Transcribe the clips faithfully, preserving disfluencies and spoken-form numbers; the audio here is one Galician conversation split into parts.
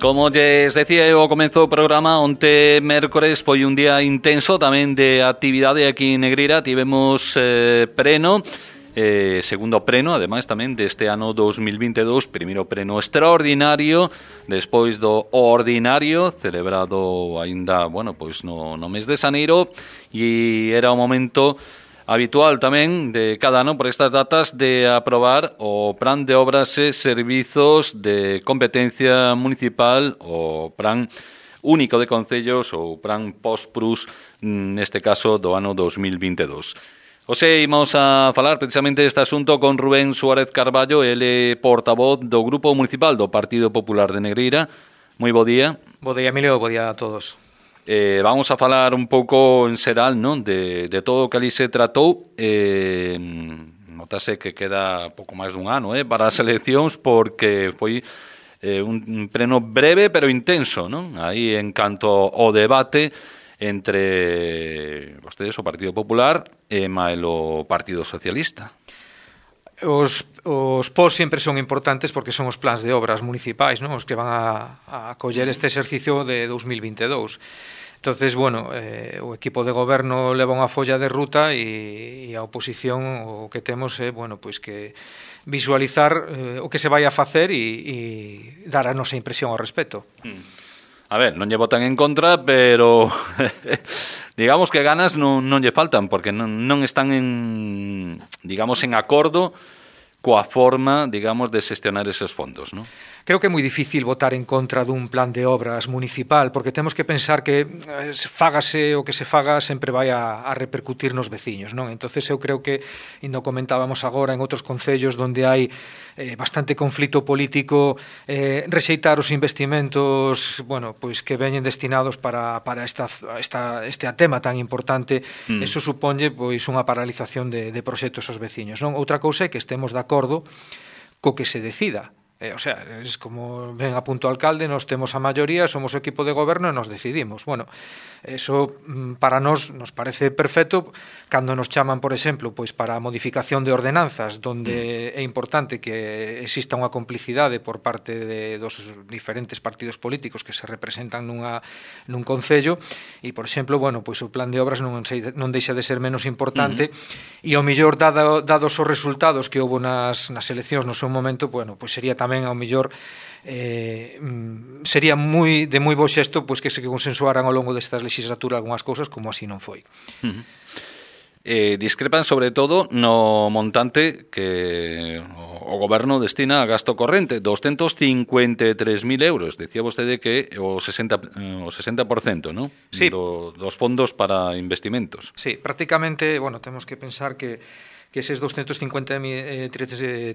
Como lles decía eu ao comezo do programa, onte mércores foi un día intenso tamén de actividade aquí en Negreira. Tivemos eh, preno, eh, segundo preno, ademais tamén deste ano dos mil vinte e dous, primeiro preno extraordinario, despois do ordinario, celebrado aínda, bueno, pois no, no mes de xaneiro, e era o momento habitual tamén de cada ano por estas datas de aprobar o Plan de Obras e Servizos de Competencia Municipal, o Plan Único de Concellos, ou Plan Post-Prus, neste caso do ano dos mil vinte e dous. Ose, imos a falar precisamente deste asunto con Rubén Suárez Carballo, ele portavoz do Grupo Municipal do Partido Popular de Negreira. Moi bo día. Bo día, Emilio, bo día a todos. Eh, vamos a falar un pouco en xeral, non, de, de todo o que ali se tratou. Eh, notase que queda pouco máis dun ano eh, para as eleccións, porque foi eh, un pleno breve pero intenso, non? Aí en canto ao debate entre vostedes, o Partido Popular, e mael o Partido Socialista. Os, os P O S sempre son importantes porque son os plans de obras municipais, non? Os que van a, a acoller este exercicio de dos mil vinte e dous. Entonces, bueno, eh, o equipo de goberno leva unha folla de ruta e, e a oposición o que temos é, bueno, pois que visualizar eh, o que se vai a facer e, e dar a nosa impresión ao respecto. A ver, non lle votan en contra, pero digamos que ganas non, non lle faltan, porque non, non están en, digamos, en acordo coa forma, digamos, de xestionar eses fondos, non? Creo que é moi difícil votar en contra dun plan de obras municipal, porque temos que pensar que fágase o que se faga sempre vai a, a repercutir nos veciños, non? Entonces eu creo que, e non comentábamos agora en outros concellos onde hai eh, bastante conflito político, eh, rexeitar os investimentos, bueno, pois que veñen destinados para, para esta, esta, este tema tan importante, mm. eso suponlle pois unha paralización de, de proxectos aos veciños, non? Outra cousa é que estemos de acordo co que se decida. Eh, o sea, es como ven a punto o alcalde, nos temos a maioría, somos o equipo de goberno e nos decidimos. Bueno, eso para nós nos parece perfecto cando nos chaman, por exemplo, pois para a modificación de ordenanzas, donde é importante que exista unha complicidade por parte de, dos diferentes partidos políticos que se representan nunha, nun concello, e, por exemplo, bueno, pois o plan de obras non, sei, non deixa de ser menos importante, uh-huh. e ao mellor, dado, dados os resultados que houve nas, nas eleccións no seu momento, bueno, pois sería tamén ao mellor eh, sería moi de moi bo xesto pois que se consensuaran ao longo destas legislaturas algunhas cousas, como así non foi. Uh-huh. Eh, discrepan sobre todo no montante que o goberno destina a gasto corrente, doscientos cincuenta e tres mil euros. Decía vostede que o sesenta por cento, ¿no? Sí. Do, dos fondos para investimentos. Sí, prácticamente, bueno, temos que pensar que que eses doscientos cincuenta e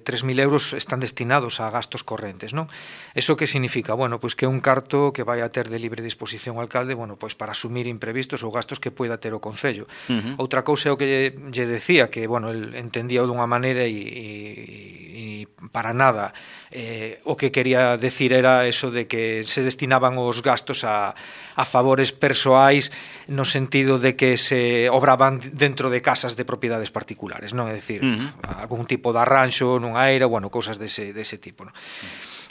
tres mil euros están destinados a gastos correntes, non? Eso que significa? Bueno, pois que un carto que vai a ter de libre disposición o alcalde, bueno, pois para asumir imprevistos ou gastos que poida ter o concello. Uh-huh. Outra cousa é o que lle, lle decía, que, bueno, el entendía dunha maneira e, e, e para nada eh, o que quería decir era eso de que se destinaban os gastos a, a favores persoais no sentido de que se obraban dentro de casas de propiedades particulares, non? É dicir, uh-huh. algún tipo de arranxo nunha eira, bueno, cousas dese, dese tipo, non?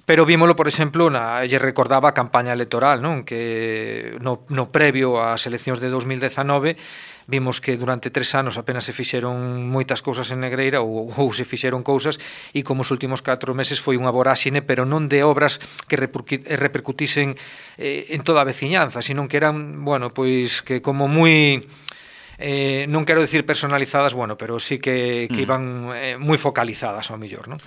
Pero vímolo, por exemplo, na, lle recordaba a campaña electoral, non? Que no, no previo ás eleccións de dos mil dezanove vimos que durante tres anos apenas se fixeron moitas cousas en Negreira ou, ou se fixeron cousas, e como os últimos catro meses foi unha voráxine, pero non de obras que repercutisen eh, en toda a veciñanza, sino que eran, bueno, pois que como moi... Eh, non quero decir personalizadas, bueno, pero sí que, que iban eh, moi focalizadas ao mellor, non?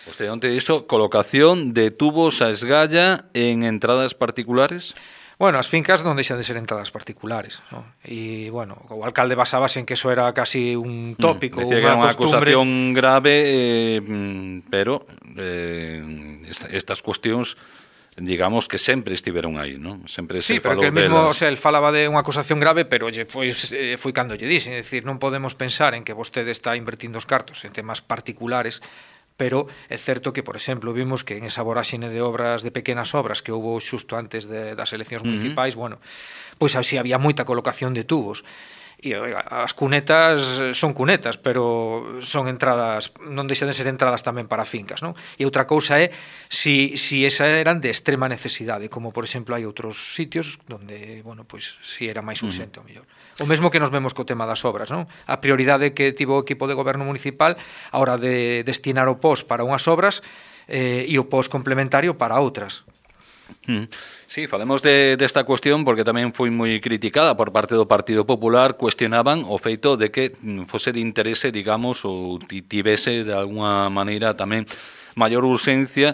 Usted onte iso, colocación de tubos a esgalla en entradas particulares? Bueno, as fincas non deixan de ser entradas particulares, ¿no? E, bueno, o alcalde basábase en que eso era casi un tópico, mm, decía que era unha acusación grave, eh, pero eh, estas cuestións digamos que sempre estiveron aí, non? Sempre sí, se pero falou que el mismo, delas. O sea, el falaba de unha acusación grave, pero lle foi, eh, foi cando lle dixen, é dicir, non podemos pensar en que vostede está invertindo os cartos en temas particulares, pero é certo que, por exemplo, vimos que en esa voráxine de obras, de pequenas obras que houve xusto antes de, das eleccións municipais, uh-huh. bueno, pois así había moita colocación de tubos. E as cunetas son cunetas, pero son entradas, non deixan de ser entradas tamén para fincas, non? E outra cousa é si, si esa eran de extrema necesidade, como por exemplo hai outros sitios onde, bueno, pois si era máis urxente, uh-huh. o mellor. O mesmo que nos vemos co tema das obras, non? A prioridade que tivo o equipo de goberno municipal a hora de destinar o P O S para unhas obras eh, e o P O S complementario para outras. Sí, falemos de, desta cuestión porque tamén foi moi criticada por parte do Partido Popular. Cuestionaban o feito de que fose de interese, digamos, ou tivese de alguna maneira tamén maior urxencia,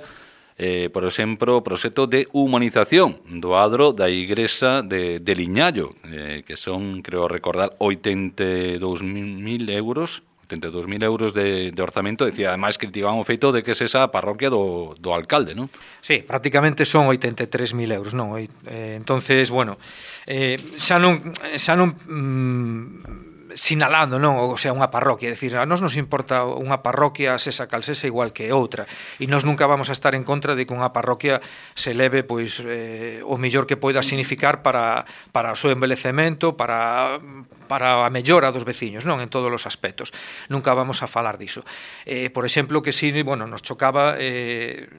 eh, por exemplo, o proxecto de humanización do adro da igrexa de, de Liñallo, eh, que son, creo recordar, oitenta e dous mil euros, oitenta e dous mil euros de, de orzamento. Decía, ademais, criticaban o feito de que é esa parroquia do, do alcalde, non? Sí, prácticamente son oitenta e tres mil euros, non? Eh, entonces, bueno, eh, xa non, xa non mm, sinalando, non? O sea, unha parroquia, é dicir, a nós nos importa unha parroquia sesa cal sesa igual que outra, e nós nunca vamos a estar en contra de que unha parroquia se leve, pois, eh, o mellor que poida significar para, para o seu embelecemento, para, para a mellora dos veciños, non? En todos os aspectos. Nunca vamos a falar diso. Eh, por exemplo, que si, bueno, nos chocaba eh,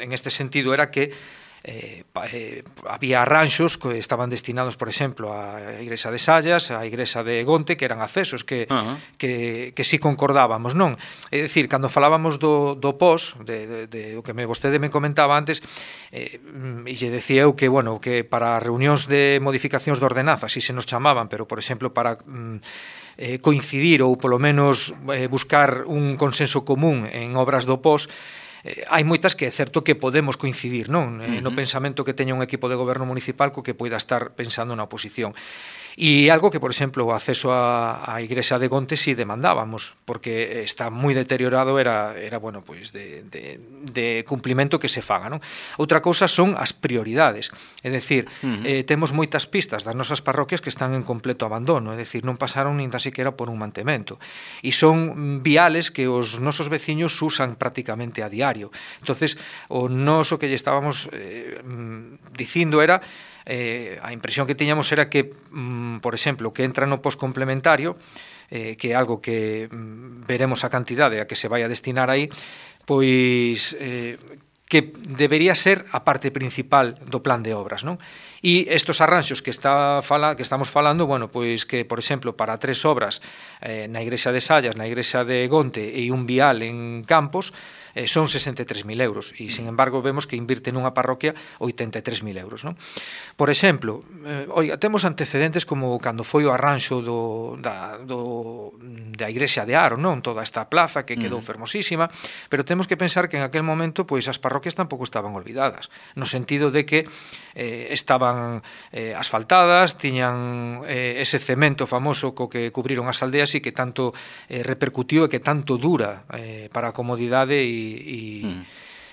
en este sentido era que Eh, eh, había arranxos que estaban destinados, por exemplo, á igrexa de Sallas, á igrexa de Gonte, que eran accesos que, uh-huh. que, que si concordábamos, non? É dicir, cando falábamos do, do P O S, de, de, de o que me, vostede me comentaba antes, eh, e lle decía eu que, bueno, que para reunións de modificacións de ordenanza, si se nos chamaban, pero, por exemplo, para mm, eh, coincidir ou, polo menos, eh, buscar un consenso común en obras do P O S, Eh, hai moitas que é certo que podemos coincidir, non? Eh, uh-huh. No pensamento que teña un equipo de goberno municipal co que poida estar pensando na oposición. E algo que, por exemplo, o acceso á, á igrexa de Gonte si demandábamos, porque está moi deteriorado, era, era bueno, pois de, de, de cumplimento que se faga, non? Outra cousa son as prioridades, é dicir, uh-huh. eh, temos moitas pistas das nosas parroquias que están en completo abandono, é dicir, non pasaron nin tan siquiera por un mantemento, e son viales que os nosos veciños usan prácticamente a diario. Entonces, o noso que lle estábamos eh, dicindo era Eh, a impresión que tiñamos era que, mm, por exemplo, que entra no poscomplementario, eh, que é algo que mm, veremos a cantidade a que se vai a destinar aí, pois eh, que debería ser a parte principal do plan de obras, non? E estos arranxos que está fala, que estamos falando, bueno, pois que, por exemplo, para tres obras eh, na igrexa de Sallas, na igrexa de Gonte e un vial en Campos, eh, son sesenta e tres mil euros, e, sin embargo, vemos que invirte nunha parroquia oitenta e tres mil euros, non? Por exemplo, eh, oiga, temos antecedentes como cando foi o arranxo do, da, do, da igrexa de Aro, non? Toda esta plaza que quedou fermosísima, pero temos que pensar que en aquel momento, pois, as parroquias tampouco estaban olvidadas, no sentido de que eh, estaban eh, asfaltadas, tiñan eh, ese cemento famoso co que cubriron as aldeas e que tanto eh, repercutiu e que tanto dura eh, para a comodidade e e, mm.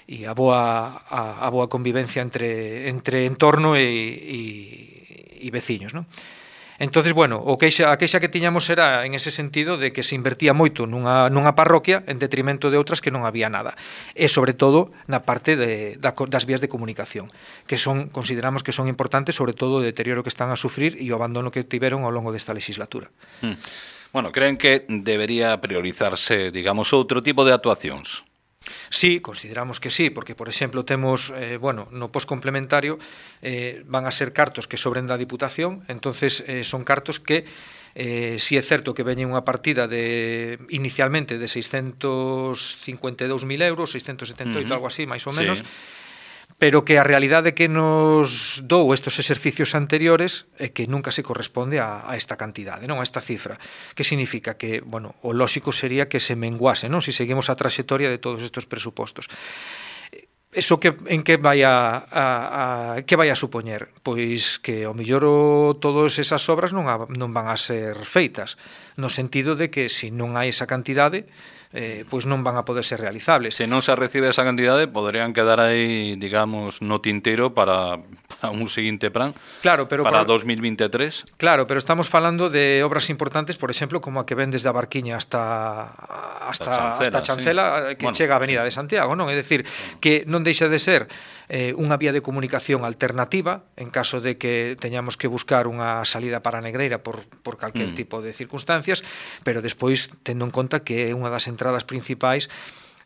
e a boa a, a boa convivencia entre entre entorno e, e, e veciños, non? Entonces, bueno, o queixa, a queixa que tiñamos era en ese sentido de que se invertía moito nunha, nunha parroquia en detrimento de outras que non había nada. E, sobre todo, na parte de, da, das vías de comunicación, que son, consideramos que son importantes, sobre todo o deterioro que están a sufrir e o abandono que tiveron ao longo desta legislatura. Mm. Bueno, creen que debería priorizarse, digamos, outro tipo de actuacións? Sí, consideramos que sí, porque, por exemplo, temos, eh, bueno, no poscomplementario eh, van a ser cartos que sobren da Diputación, entonces eh, son cartos que eh, si é certo que veñen unha partida de inicialmente de seiscentos cincuenta e dous mil euros, seiscentos setenta e oito, uh-huh. algo así, máis ou menos, sí. Pero que a realidade que nos dou estes exercicios anteriores é que nunca se corresponde a, a esta cantidade, non a esta cifra. Que significa que, bueno, o lóxico sería que se menguase, non? Si seguimos a traxectoria de todos estes presupostos. Eso que en que vai a, a, a que vai a supoñer? Pois que ao mellor o, todas esas obras non, a, non van a ser feitas, no sentido de que se non hai esa cantidade, eh, pois non van a poder ser realizables. Se non se recibe esa cantidade, poderían quedar aí, digamos, no tintero para, para un seguinte plan, claro, pero para por... dos mil veintitrés. Claro, pero estamos falando de obras importantes, por exemplo, como a que ven desde a Barquiña hasta hasta Chancela, hasta Chancela sí. que bueno, chega a Avenida sí. de Santiago, non? É dicir, que non deixa de ser eh, unha vía de comunicación alternativa en caso de que teñamos que buscar unha salida para Negreira por, por calquer mm. tipo de circunstancias, pero despois tendo en conta que é unha das entradas principais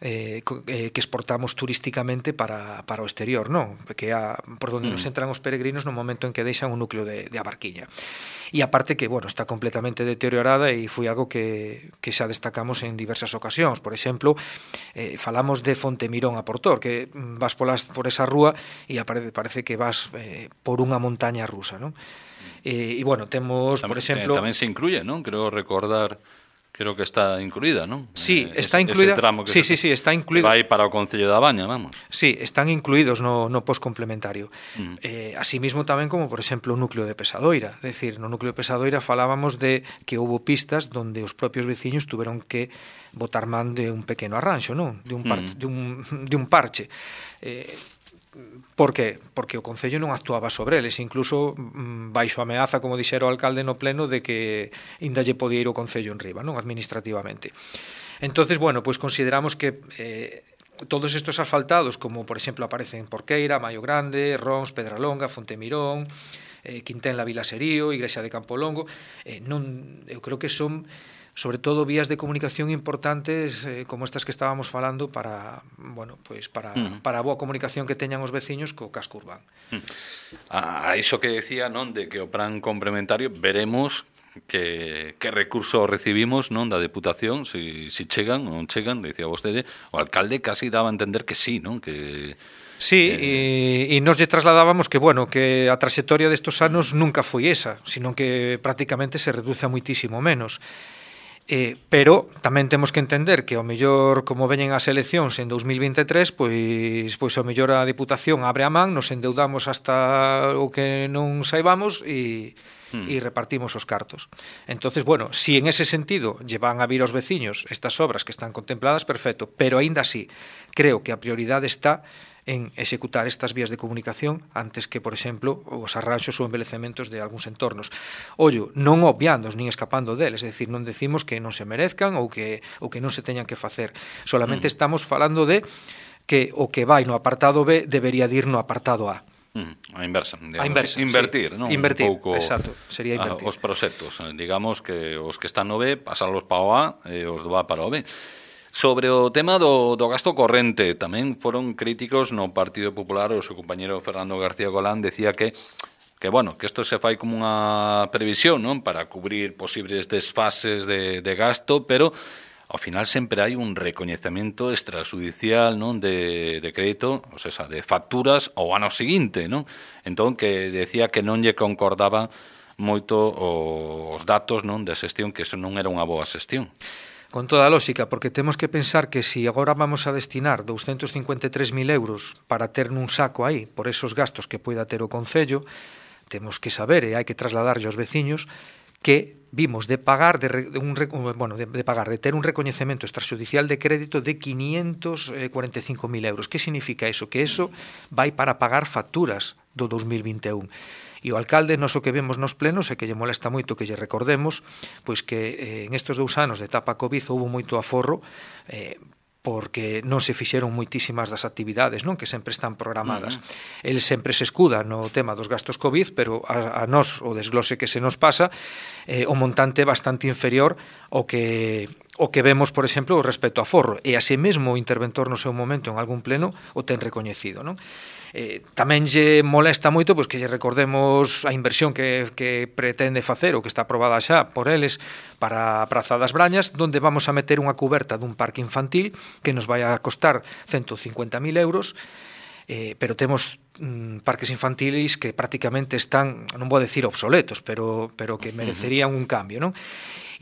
Eh, eh, que exportamos turísticamente para, para o exterior, non? Que a, por donde mm. nos entran os peregrinos no momento en que deixan o núcleo de, de Abarquiña. E aparte que, bueno, está completamente deteriorada e foi algo que, que xa destacamos en diversas ocasións. Por exemplo, eh, falamos de Fontemirón a Portor, que vas polas, por esa rúa e aparece, parece que vas eh, por unha montaña rusa, non? E, e bueno, temos, tamén, por exemplo... Tamén se incluye, non? Creo recordar... Creo que está incluída, non? Sí, eh, está incluída. Ese tramo que sí, se, sí, sí, está incluído. Vai para o Concello da Baña, vamos. Sí, están incluídos no, no post complementario. Mm. Eh, así mismo tamén como, por exemplo, o núcleo de Pesadoira. É dicir, no núcleo de Pesadoira falábamos de que houbo pistas donde os propios veciños tuveron que botar man de un pequeno arranxo, non? De un parche, mm. de un, de un parche. Eh, Por que? Porque o Concello non actuaba sobre eles, incluso baixo ameaza, como dixera o alcalde no pleno, de que ainda lle podía ir o Concello en riba, non? Administrativamente. Entonces, bueno, pois consideramos que eh, todos estos asfaltados, como por exemplo aparecen Porqueira, Maio Grande, Rons, Pedralonga, Fontemirón, eh, Quintén, La Vila Serío, Igrexa de Campolongo, eh, non, eu creo que son sobre todo vías de comunicación importantes eh, como estas que estábamos falando para, bueno, pues para, uh -huh. para a boa comunicación que teñan os veciños co casco urbano. Uh -huh. A iso que decía, non, de que o plan complementario veremos que, que recurso recibimos, non, da Deputación, si, si chegan ou non chegan, decía vostede, o alcalde casi daba a entender que sí, non, que... Sí, eh... e, e nos lle trasladábamos que, bueno, que a traxectoria destos anos nunca foi esa, sino que prácticamente se reduce a muitísimo menos. Eh, pero tamén temos que entender que ao mellor como veñen as eleccións en dos mil veintitrés, pois pois ao mellor a Deputación abre a man, nos endeudamos hasta o que non saibamos e mm. e repartimos os cartos. Entonces, bueno, si en ese sentido lle van a vir aos veciños estas obras que están contempladas, perfecto, pero aínda así creo que a prioridade está en executar estas vías de comunicación antes que, por exemplo, os arranxos ou embelecementos de algúns entornos. Ollo, non obviándos nin escapando deles, é dicir, non decimos que non se merezcan ou que, ou que non se teñan que facer. Solamente mm. estamos falando de que o que vai no apartado B debería de ir no apartado A. Mm, a inversa, digamos, a inversa, invertir, sí. non? Invertir, un pouco, exacto, sería invertir. A, os proxectos, digamos que os que están no B, pasalos para o A e os do A para o B. Sobre o tema do, do gasto corrente, tamén foron críticos no Partido Popular, o seu compañero Fernando García Golán decía que que bueno, que isto se fai como unha previsión, non, para cubrir posibles desfases de, de gasto, pero ao final sempre hai un recoñecemento extrajudicial, non, de, de crédito, ou sea, de facturas ao ano seguinte, non? Entón, que decía que non lle concordaba moito os datos, non, de xestión, que eso non era unha boa xestión. Con toda a lógica, porque temos que pensar que se si agora vamos a destinar douscentos cincuenta e tres mil euros para ter nun saco aí por esos gastos que poida ter o Concello, temos que saber e hai que trasladarlle aos veciños que vimos de pagar de, de un bueno, de, de pagar de ter un recoñecemento extrajudicial de crédito de quinientos cuarenta e cinco mil euros. Que significa eso? Que eso vai para pagar facturas do dos mil vinte e un. E o alcalde, nos o que vemos nos plenos, é que lle molesta moito que lle recordemos pois que eh, en estes dous anos de etapa Covid houve moito aforro eh, porque non se fixeron moitísimas das actividades, non, que sempre están programadas. Uh-huh. El sempre se escuda no tema dos gastos Covid, pero a, a nós o desglose que se nos pasa eh, o montante é bastante inferior ao que o que vemos, por exemplo, respecto a aforro. E así mesmo o interventor no seu momento en algún pleno o ten recoñecido, non? Eh, tamén lle molesta moito pois que lle recordemos a inversión que, que pretende facer ou que está aprobada xa por eles para a Praza das Brañas, donde vamos a meter unha cuberta dun parque infantil que nos vai a costar ciento cincuenta mil euros, eh, pero temos mm, parques infantiles que prácticamente están, non vou decir obsoletos, pero, pero que merecerían un cambio, non?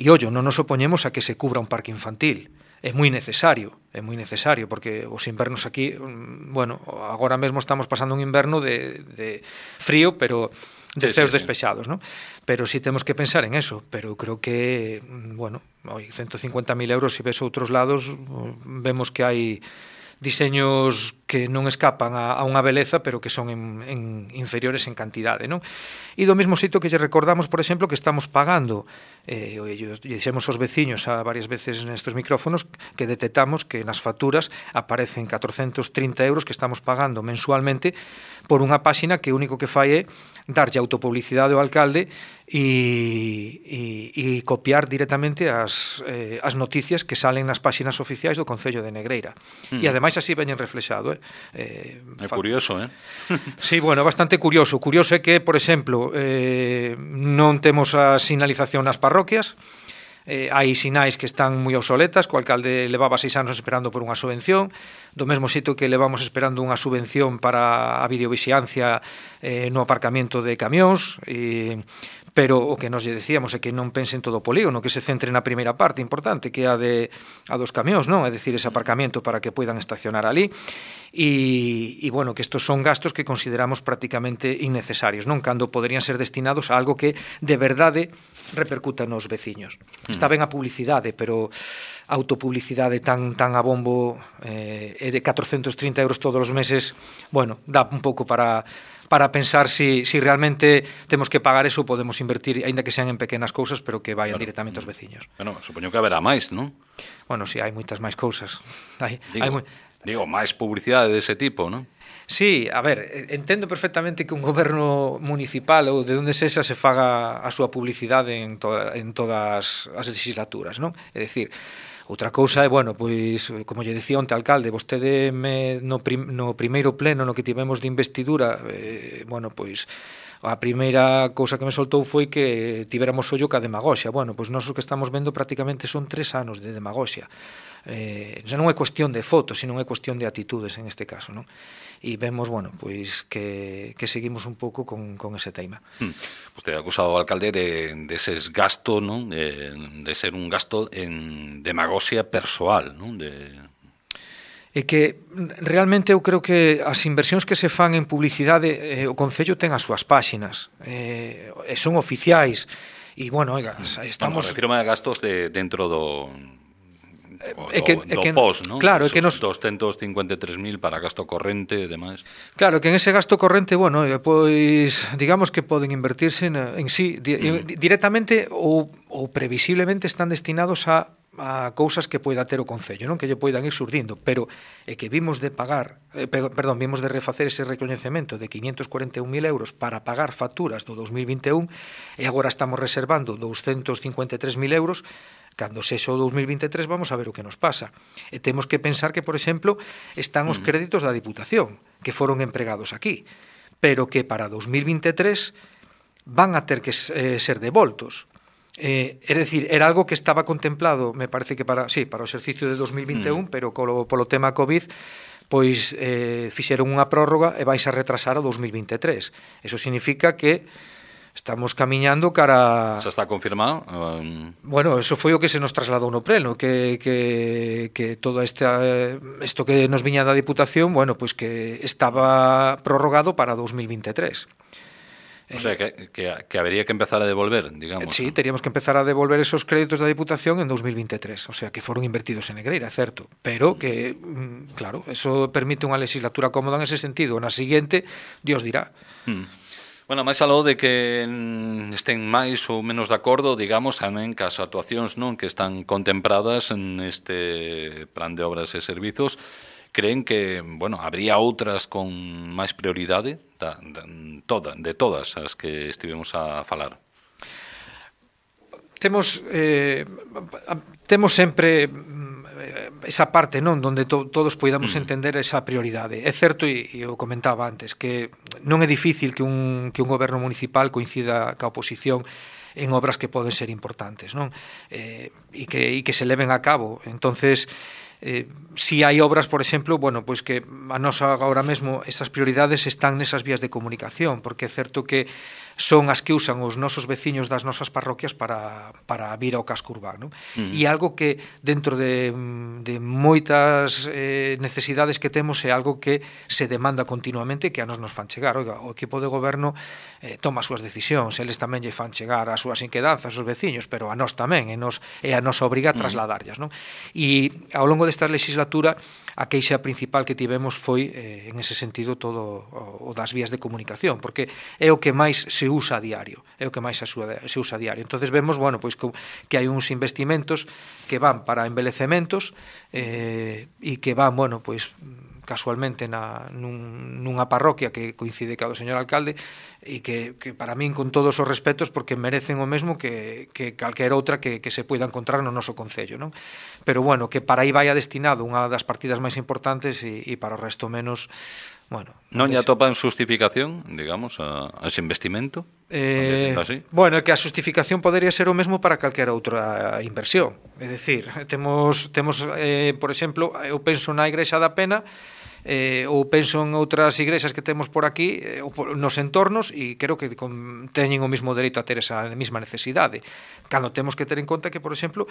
E ollo, non nos opoñemos a que se cubra un parque infantil. É moi necesario, é moi necesario, porque os invernos aquí, bueno, agora mesmo estamos pasando un inverno de, de frío, pero de sí, ceos sí, despechados, ¿no? Pero sí temos que pensar en eso, pero creo que, bueno, oi, ciento cincuenta mil euros, se ves outros lados, vemos que hai diseños que non escapan a, a unha beleza, pero que son en, en inferiores en cantidade, non? E do mesmo xeito que lle recordamos, por exemplo, que estamos pagando, eh, lle dixemos aos veciños a varias veces nestes micrófonos, que detectamos que nas facturas aparecen catrocentos trinta euros que estamos pagando mensualmente por unha páxina que o único que fai é darlle autopublicidade ao alcalde e, e, e copiar directamente as, eh, as noticias que salen nas páxinas oficiais do Concello de Negreira. Mm. E ademais así veñen reflexado. Eh? Eh, é curioso, eh? Sí, bueno, bastante curioso. Curioso é que, por exemplo, eh, non temos a sinalización nas parroquias. Eh, hai sinais que están moi obsoletas, co alcalde levaba seis anos esperando por unha subvención, do mesmo xeito que levamos esperando unha subvención para a videovixiancia eh, no aparcamento de camións, e, pero o que nos lle decíamos é que non pensen todo o polígono, que se centre na primeira parte importante, que é a, de, a dos camións, non? É dicir, ese aparcamento para que poidan estacionar ali, e, e bueno, que estos son gastos que consideramos prácticamente innecesarios, non? Cando poderían ser destinados a algo que de verdade repercuta nos veciños. Está ben a publicidade, pero a autopublicidade tan tan a bombo eh, é de catrocentos trinta euros todos os meses, bueno, dá un pouco para para pensar si, si realmente temos que pagar eso, podemos invertir, aínda que sean en pequenas cousas, pero que vayan claro. directamente aos veciños. Bueno, supoño que haberá máis, non? Bueno, si, sí, hai moitas máis cousas. Hai, digo, hai moi... digo, máis publicidade dese tipo, non? Sí, a ver, entendo perfectamente que un goberno municipal ou de onde sexa se faga a súa publicidade en, to en todas as legislaturas, non? É dicir, outra cousa é, bueno, pois, como lle dicía onte alcalde, vostede me, no, prim, no primeiro pleno no que tivemos de investidura, eh, bueno, pois, a primeira cousa que me soltou foi que tivéramos ollo ca demagoxia. Bueno, pois nós o que estamos vendo prácticamente son tres anos de demagoxia. Eh, xa non é cuestión de fotos, sino é cuestión de atitudes en este caso, non? E vemos, bueno, pois que, que seguimos un pouco con, con ese tema. Hmm. Vostede ha acusado ao alcalde de, de eses gastos, non? De, de ser un gasto en demagoxia persoal, non? De... É que realmente eu creo que as inversións que se fan en publicidade, eh, o Concello ten as súas páxinas, eh, son oficiais, e, bueno, oiga, estamos... Bueno, refirme a gastos de, dentro do... É que, do, é do que, post, non? Claro, é que nos doscientos cincuenta e tres mil para gasto corrente e demais. Claro, que en ese gasto corrente, bueno, pois digamos que poden invertirse en, en sí di, mm. directamente ou, ou previsiblemente están destinados a a cousas que poida ter o Concello, non? Que lle poidan ir surdindo, pero é que vimos de pagar, eh, perdón, vimos de refacer ese recoñecemento de quinientos cuarenta e un mil euros para pagar facturas do dos mil vinte e un e agora estamos reservando doscientos cincuenta e tres mil euros. Cando sexo o dos mil vinte e tres vamos a ver o que nos pasa. E temos que pensar que, por exemplo, están os créditos da Diputación, que foron empregados aquí, pero que para dos mil vinte e tres van a ter que eh, ser devoltos. Eh, é dicir, era algo que estaba contemplado, me parece que para, sí, para o exercicio de dos mil vinte e un, mm. pero polo, polo tema COVID pois eh, fixeron unha prórroga e vais a retrasar a dos mil vinte e tres. Eso significa que estamos camiñando cara... Xa está confirmado? Um... Bueno, eso foi o que se nos trasladou no pleno, que, que, que todo esta, isto que nos viña da Diputación, bueno, pois que estaba prorrogado para dos mil vinte e tres. O sea, que, que, que habría que empezar a devolver, digamos. Sí, ¿no? Teríamos que empezar a devolver esos créditos da Diputación en dos mil vinte e tres, o sea, que foron invertidos en Negreira, certo, pero que, claro, eso permite unha legislatura cómoda en ese sentido. Na seguinte, Dios dirá. Hmm. Bueno, máis aló de que estén máis ou menos de acordo, digamos, tamén que as actuacións non que están contempladas neste plan de obras e servizos, creen que, bueno, habría outras con máis prioridade da, da, toda, de todas as que estivemos a falar? Temos eh, temos sempre esa parte, non, donde to, todos poidamos mm. entender esa prioridade. É certo, e eu comentaba antes, que non é difícil que un, que un goberno municipal coincida ca oposición en obras que poden ser importantes, non? Eh, e, que, e que se leven a cabo. Entonces, Eh, si hai obras, por exemplo, bueno, pois que a nosa agora mesmo esas prioridades están nesas vías de comunicación, porque é certo que son as que usan os nosos veciños das nosas parroquias para, para vir ao casco urbano. Mm. E algo que dentro de, de moitas eh, necesidades que temos é algo que se demanda continuamente, que a nos nos fan chegar. Oiga, o equipo de goberno eh, toma as súas decisións, eles tamén lle fan chegar as súas inquedanzas aos veciños, pero a nós tamén, e, nos, é a nosa obriga trasladarllas, non? E ao longo de desta legislatura a queixa principal que tivemos foi, eh, en ese sentido, todo o, o das vías de comunicación, porque é o que máis se usa a diario, é o que máis se usa, se usa a diario. Entonces vemos, bueno, pois que, que hai uns investimentos que van para embelecementos eh, e que van, bueno, pois casualmente na, nun, nunha parroquia que coincide ca do señor alcalde e que, que para min, con todos os respetos, porque merecen o mesmo que, que calquera outra que, que se poida encontrar no noso concello, non? Pero bueno, que para aí vaya destinado unha das partidas máis importantes e, e para o resto menos, bueno... Non lle atopan justificación, digamos, a, a ese investimento? Eh, bueno, é que a justificación podería ser o mesmo para calquera outra inversión. É dicir, temos, temos eh, por exemplo, eu penso na Igrexa da Pena, eh, ou penso en outras igrexas que temos por aquí, eh, nos entornos, e creo que con, teñen o mesmo dereito a ter esa mesma necesidade. Cando temos que ter en conta que, por exemplo,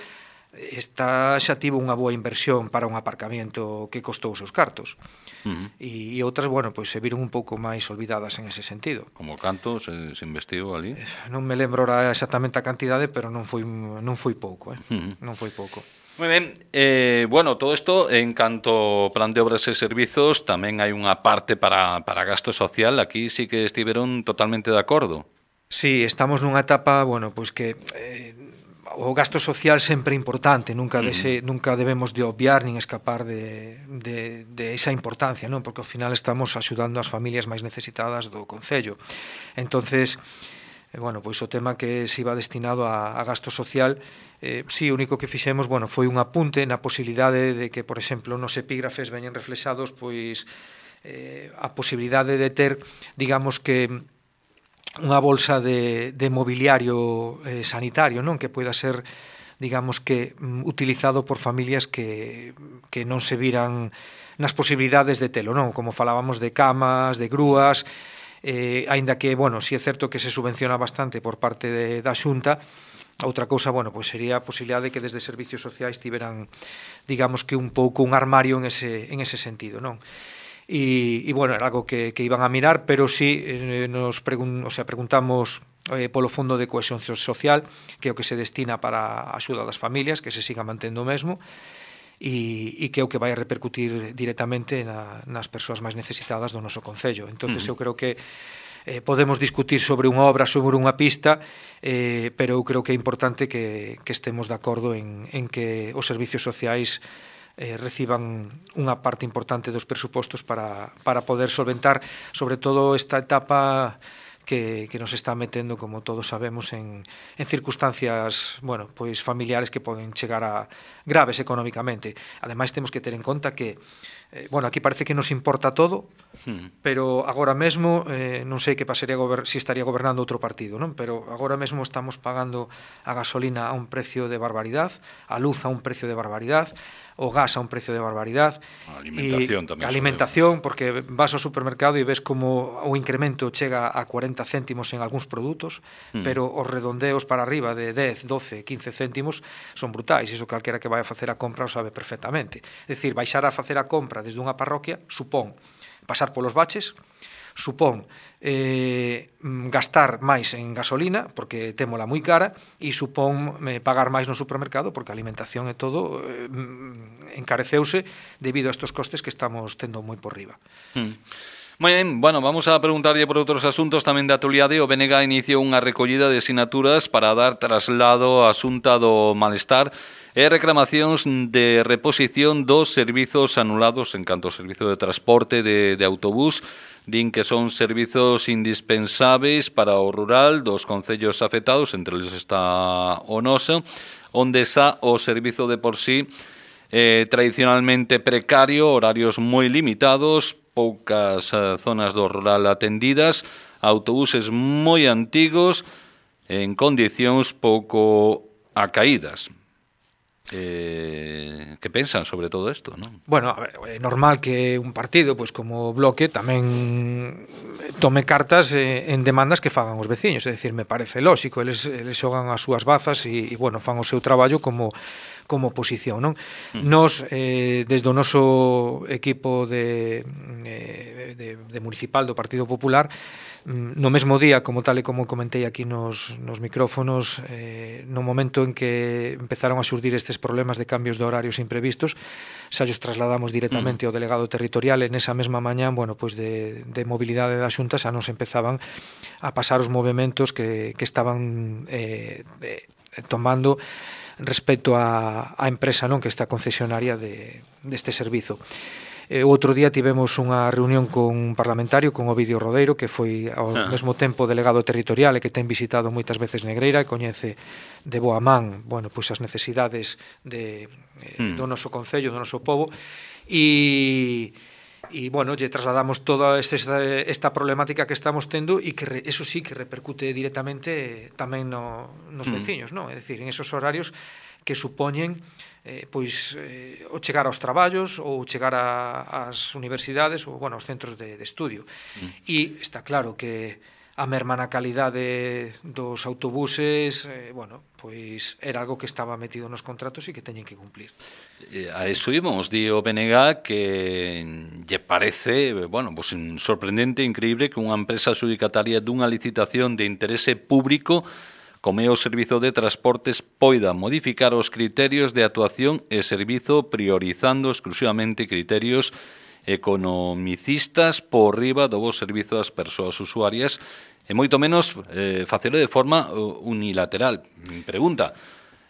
esta xa tivo unha boa inversión para un aparcamiento que costou os seus cartos. Uh-huh. E, e outras, bueno, pois se viron un pouco máis olvidadas en ese sentido. Como canto se, se investiu ali? Non me lembro ahora exactamente a cantidade, pero non foi, non foi pouco, eh? Uh-huh. Non foi pouco. Moi ben, eh, bueno, todo isto en canto plan de obras e servizos tamén hai unha parte para, para gasto social, aquí sí que estiveron totalmente de acordo. Sí, estamos nunha etapa, bueno, pois que eh, o gasto social sempre é importante, nunca, dese, mm. nunca debemos de obviar nin escapar de, de, de esa importancia, non? Porque ao final estamos axudando as familias máis necesitadas do concello. Entonces, eh, bueno, pois o tema que se iba destinado a, a gasto social, eh, sí, o único que fixemos, bueno, foi un apunte na posibilidade de que, por exemplo, nos epígrafes veñen reflexados, pois, eh, a posibilidade de ter, digamos que, unha bolsa de, de mobiliario eh, sanitario, non? Que poida ser, digamos que, utilizado por familias que, que non se viran nas posibilidades de telo, non? Como falábamos de camas, de grúas, eh, aínda que, bueno, si é certo que se subvenciona bastante por parte de, da Xunta. Outra cousa, bueno, pois sería a posibilidade de que desde servicios sociais tiveran, digamos que un pouco un armario en ese, en ese sentido, non? E, e bueno, era algo que, que iban a mirar, pero sí eh, nos pregun, o sea, preguntamos eh, polo Fondo de Cohesión Social, que é o que se destina para a axuda das familias, que se siga mantendo o mesmo, e, e que é o que vai a repercutir directamente na, nas persoas máis necesitadas do noso concello. Entonces, uh-huh. eu creo que Eh, podemos discutir sobre unha obra, sobre unha pista, eh, pero eu creo que é importante que, que estemos de acordo en, en que os servicios sociais eh, reciban unha parte importante dos presupostos para, para poder solventar, sobre todo, esta etapa que, que nos está metendo, como todos sabemos, en, en circunstancias, bueno, pois familiares que poden chegar a graves económicamente. Ademais, temos que ter en conta que Eh, bueno, aquí parece que nos importa todo, hmm. pero agora mesmo, eh, non sei que pasaría gober- si estaría gobernando outro partido, non? Pero agora mesmo estamos pagando a gasolina a un precio de barbaridade, a luz a un precio de barbaridade, o gas a un precio de barbaridade. A alimentación tamén. A alimentación, porque vas ao supermercado e ves como o incremento chega a cuarenta céntimos en algúns produtos, hmm. pero os redondeos para arriba de dez, doce, quince céntimos son brutais, iso calquera que vai a facer a compra o sabe perfectamente. É dicir, baixar a facer a compra desde unha parroquia supón pasar polos baches, supón eh, gastar máis en gasolina porque témola moi cara, e supón eh, pagar máis no supermercado porque a alimentación e todo eh, encareceuse debido a estos costes que estamos tendo moi por riba. Hmm. Moi ben, bueno, vamos a preguntarlle por outros asuntos tamén de actualidade. O B N G iniciou unha recollida de sinaturas para dar traslado á Xunta do Malestar e reclamacións de reposición dos servizos anulados en canto ao servizo de transporte de, de autobús. Din que son servizos indispensáveis para o rural dos concellos afectados, entre eles está o noso, onde xa o servizo de por sí eh, tradicionalmente precario, horarios moi limitados, poucas eh, zonas do rural atendidas, autobuses moi antigos, en condicións pouco acaídas. Eh, que pensan sobre todo isto, non? Bueno, a ver, é normal que un partido, pois como Bloque, tamén tome cartas eh, en demandas que fagan os veciños, é dicir, me parece lóxico, eles, eles xogan as súas bazas e, e bueno, fan o seu traballo como como oposición, non? Mm. Nos, eh, desde o noso equipo de, eh, de, de municipal do Partido Popular, no mesmo día, como tal e como comentei aquí nos, nos micrófonos, eh, no momento en que empezaron a surdir estes problemas de cambios de horarios imprevistos, xa os trasladamos directamente mm. ao delegado territorial, e nesa mesma mañá, bueno, pois de, de mobilidade da Xunta xa nos empezaban a pasar os movimentos que, que estaban eh, eh, tomando respecto á, á empresa, non, que está concesionaria de, deste servizo. O outro día tivemos unha reunión con un parlamentario, con Ovidio Rodeiro, que foi ao ah. mesmo tempo delegado territorial e que ten visitado moitas veces Negreira e coñece de boa man, bueno, pois as necesidades de, mm. do noso concello, do noso pobo, e e, bueno, lle trasladamos toda este, esta problemática que estamos tendo e que, eso sí, que repercute directamente tamén no, nos mm. veciños, non? É dicir, en esos horarios que supoñen eh, pois eh, o chegar aos traballos ou chegar a, ás universidades ou, bueno, aos centros de, de estudio. Mm. E está claro que a merma na calidade dos autobuses, eh, bueno, pois era algo que estaba metido nos contratos e que teñen que cumplir. A eso íbamos, di o B N G que lle parece, bueno, pues sorprendente, increíble que unha empresa adjudicataria dunha licitación de interese público como é o Servizo de Transportes poida modificar os criterios de actuación e servizo priorizando exclusivamente criterios economicistas por riba do bo servizo das persoas usuarias e moito menos eh, facelo de forma unilateral. Pregunta,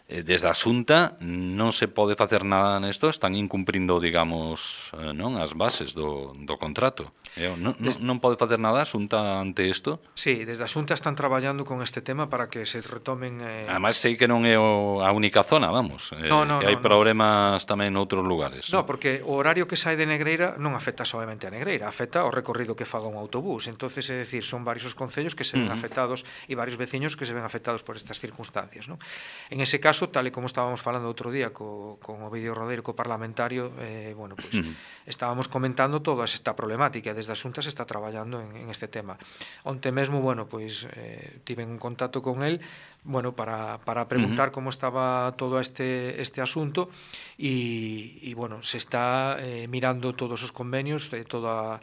desde a Xunta non se pode facer nada nesto? Están incumprindo, digamos, non as bases do, do contrato. Non, non, non pode facer nada a Xunta ante isto? Sí, desde a Xunta están traballando con este tema para que se retomen... Eh... Ademais, sei que non é o, a única zona, vamos, no, no, eh, que hai no, problemas no. tamén noutros lugares. No, porque o horario que sai de Negreira non afecta solamente a Negreira, afecta ao recorrido que faga un autobús. Entonces, é dicir, son varios os concellos que se ven uh -huh. afectados e varios veciños que se ven afectados por estas circunstancias, ¿no? En ese caso, tal e como estábamos falando outro día co, con Ovidio Rodeiro, co parlamentario, eh, bueno, pues, uh -huh. estábamos comentando toda esta problemática. Desde a Xunta se está traballando en, en este tema. Onte mesmo, bueno, pois eh, tiven un contacto con el, bueno, para, para preguntar uh -huh. como estaba todo este este asunto e, e bueno, se está eh, mirando todos os convenios, eh, toda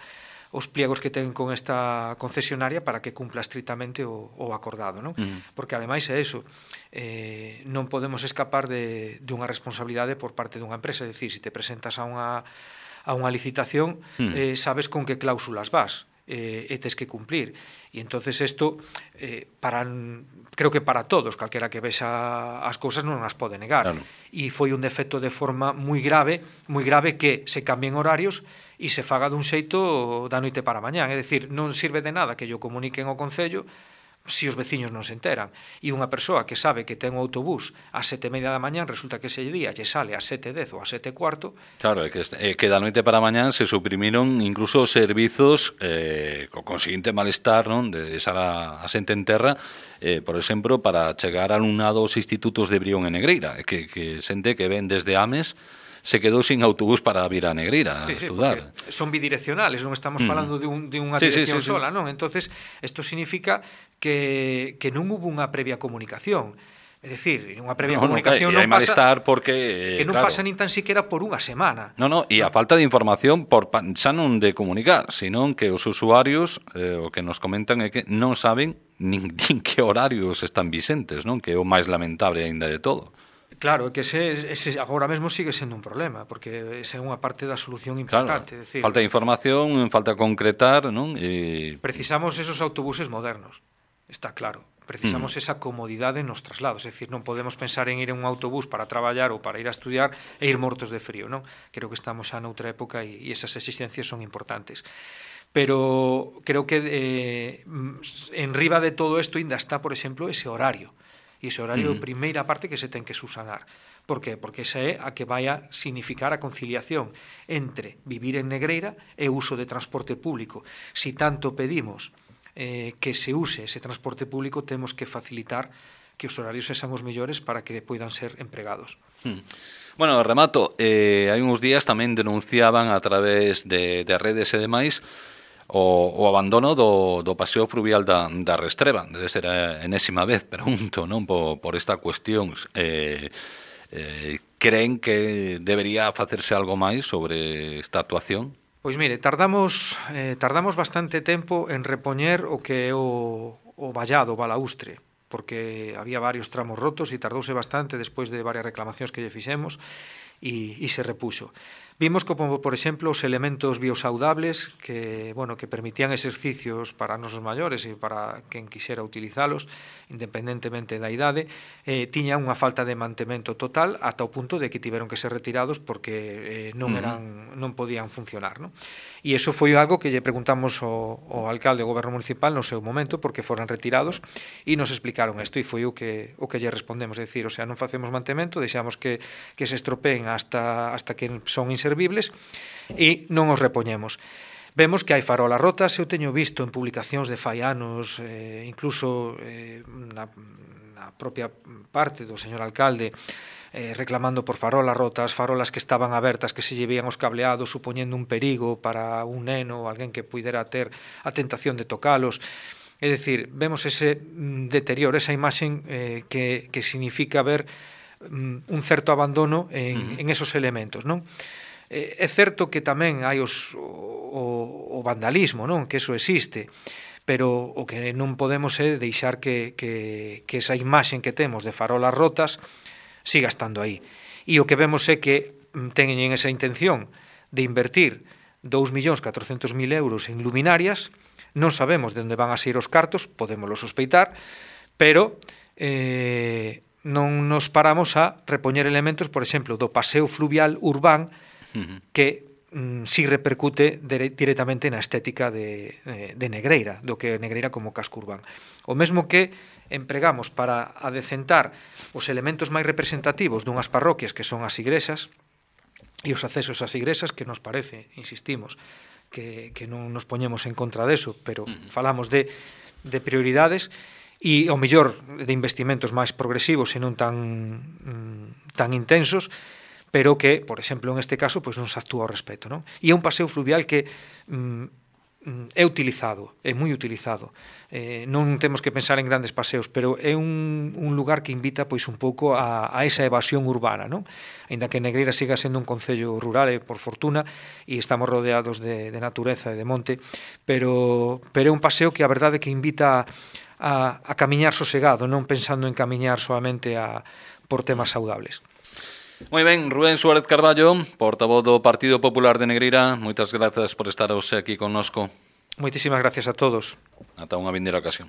os pliegos que ten con esta concesionaria para que cumpla estritamente o, o acordado, non? Uh -huh. Porque ademais é eso, eh, non podemos escapar de, de unha responsabilidade por parte dunha empresa, é dicir, se te presentas a unha a unha licitación, uh -huh. eh, sabes con que cláusulas vas eh, e tes que cumplir. E entonces isto, eh, para, creo que para todos, calquera que vexa as cousas non as pode negar. Claro. E foi un defecto de forma moi grave, moi grave que se cambien horarios e se faga dun xeito da noite para mañán. É dicir, non sirve de nada que yo comuniquen ao Concello se os veciños non se enteran. E unha persoa que sabe que ten un autobús ás sete e media da mañán, resulta que ese día lle sale ás sete e dez ou ás sete e cuarto. Claro, é que, é que da noite para mañán se suprimiron incluso servizos eh, co conseguinte malestar, non, de deixar a, a xente en terra, eh, por exemplo, para chegar a alumnado aos institutos de Brión e Negreira, que, que xente que ven desde Ames se quedou sin autobús para vir a Negreira a sí, estudar. Sí, son bidireccionales, non estamos falando mm. de, un, de unha dirección sí, sí, sí, sola, non? Entonces, isto significa que, que non hubo unha previa comunicación. É dicir, unha previa no, comunicación no, non pasa... malestar porque... Que non claro. pasa nin tan siquiera por unha semana. No, no, e a falta de información por xa non de comunicar, senón que os usuarios eh, o que nos comentan é que non saben nin, nin que horarios están vicentes, non? Que é o máis lamentable aínda de todo. Claro, que ese, ese agora mesmo sigue sendo un problema, porque esa é unha parte da solución importante. Claro, decir, falta de información, falta concretar, non? E... Precisamos esos autobuses modernos, está claro. Precisamos mm. esa comodidade nos traslados, é dicir, non podemos pensar en ir en un autobús para traballar ou para ir a estudiar e ir mortos de frío, non? Creo que estamos xa noutra época e, e esas exigencias son importantes. Pero creo que eh, en riba de todo isto ainda está, por exemplo, ese horario. E ese horario é a primeira parte que se ten que subsanar. Por que? Porque esa é a que vai a significar a conciliación entre vivir en Negreira e o uso de transporte público. Si tanto pedimos eh, que se use ese transporte público, temos que facilitar que os horarios sexan os mellores para que poidan ser empregados. Hmm. Bueno, remato, eh, hai uns días tamén denunciaban a través de, de redes e demais O, o abandono do, do paseo fluvial da, da Restreba. Debe ser a enésima vez, pregunto, non, por, por esta cuestión. Eh, eh, creen que debería facerse algo máis sobre esta actuación? Pois mire, tardamos eh, tardamos bastante tempo en repoñer o que é o, o vallado, o balaustre, porque había varios tramos rotos e tardouse bastante despois de varias reclamacións que lle fixemos e, e se repuxo. Vimos como, por exemplo, os elementos biosaudables que, bueno, que permitían exercicios para nosos maiores e para quen quixera utilizalos, independentemente da idade, eh, tiñan unha falta de mantemento total ata o punto de que tiveron que ser retirados porque eh, non eran non podían funcionar, non? E iso foi algo que lle preguntamos ao, ao alcalde do goberno municipal no seu momento porque foran retirados e nos explicaron isto e foi o que o que lle respondemos, é dicir, o sea, non facemos mantemento, deixamos que, que se estropeen hasta, hasta que son inservibles e non os repoñemos. Vemos que hai farolas rotas, eu teño visto en publicacións de fai anos, eh, incluso eh, na, na propia parte do señor alcalde, eh, reclamando por farolas rotas, farolas que estaban abertas, que se lle vían os cableados, supoñendo un perigo para un neno ou alguén que puidera ter a tentación de tocalos. É dicir, vemos ese deterioro, esa imaxen eh, que, que significa ver um, un certo abandono en, en esos elementos, non? Eh, é certo que tamén hai os, o, o vandalismo, non? Que eso existe, pero o que non podemos é deixar que, que, que esa imaxen que temos de farolas rotas siga estando aí. E o que vemos é que teñen esa intención de invertir dous millóns catrocentos mil euros en luminarias, non sabemos de onde van a sair os cartos, podémoslo sospeitar, pero eh, non nos paramos a repoñer elementos, por exemplo, do paseo fluvial urbán, que mm, si repercute dire, directamente na estética de, de Negreira, do que é Negreira como casco urbán. O mesmo que empregamos para adecentar os elementos máis representativos dunhas parroquias que son as igrexas e os accesos ás igrexas, que nos parece, insistimos, que, que non nos poñemos en contra deso, pero falamos de, de prioridades e ao mellor de investimentos máis progresivos e non tan, tan intensos, pero que, por exemplo, en este caso, pois non se actúa ao respecto, non? E é un paseo fluvial que mm, é utilizado, é moi utilizado. Eh, non temos que pensar en grandes paseos, pero é un, un lugar que invita pois un pouco a, a esa evasión urbana, non? Ainda que Negreira siga sendo un concello rural, e por fortuna, e estamos rodeados de, de natureza e de monte, pero, pero é un paseo que a verdade que invita a, a camiñar sosegado, non pensando en camiñar solamente a, por temas saudables. Moi ben, Rubén Suárez Carballo, portavoz do Partido Popular de Negreira, moitas grazas por estar hoxe aquí connosco. Moitísimas gracias a todos. Ata unha vindeira ocasión.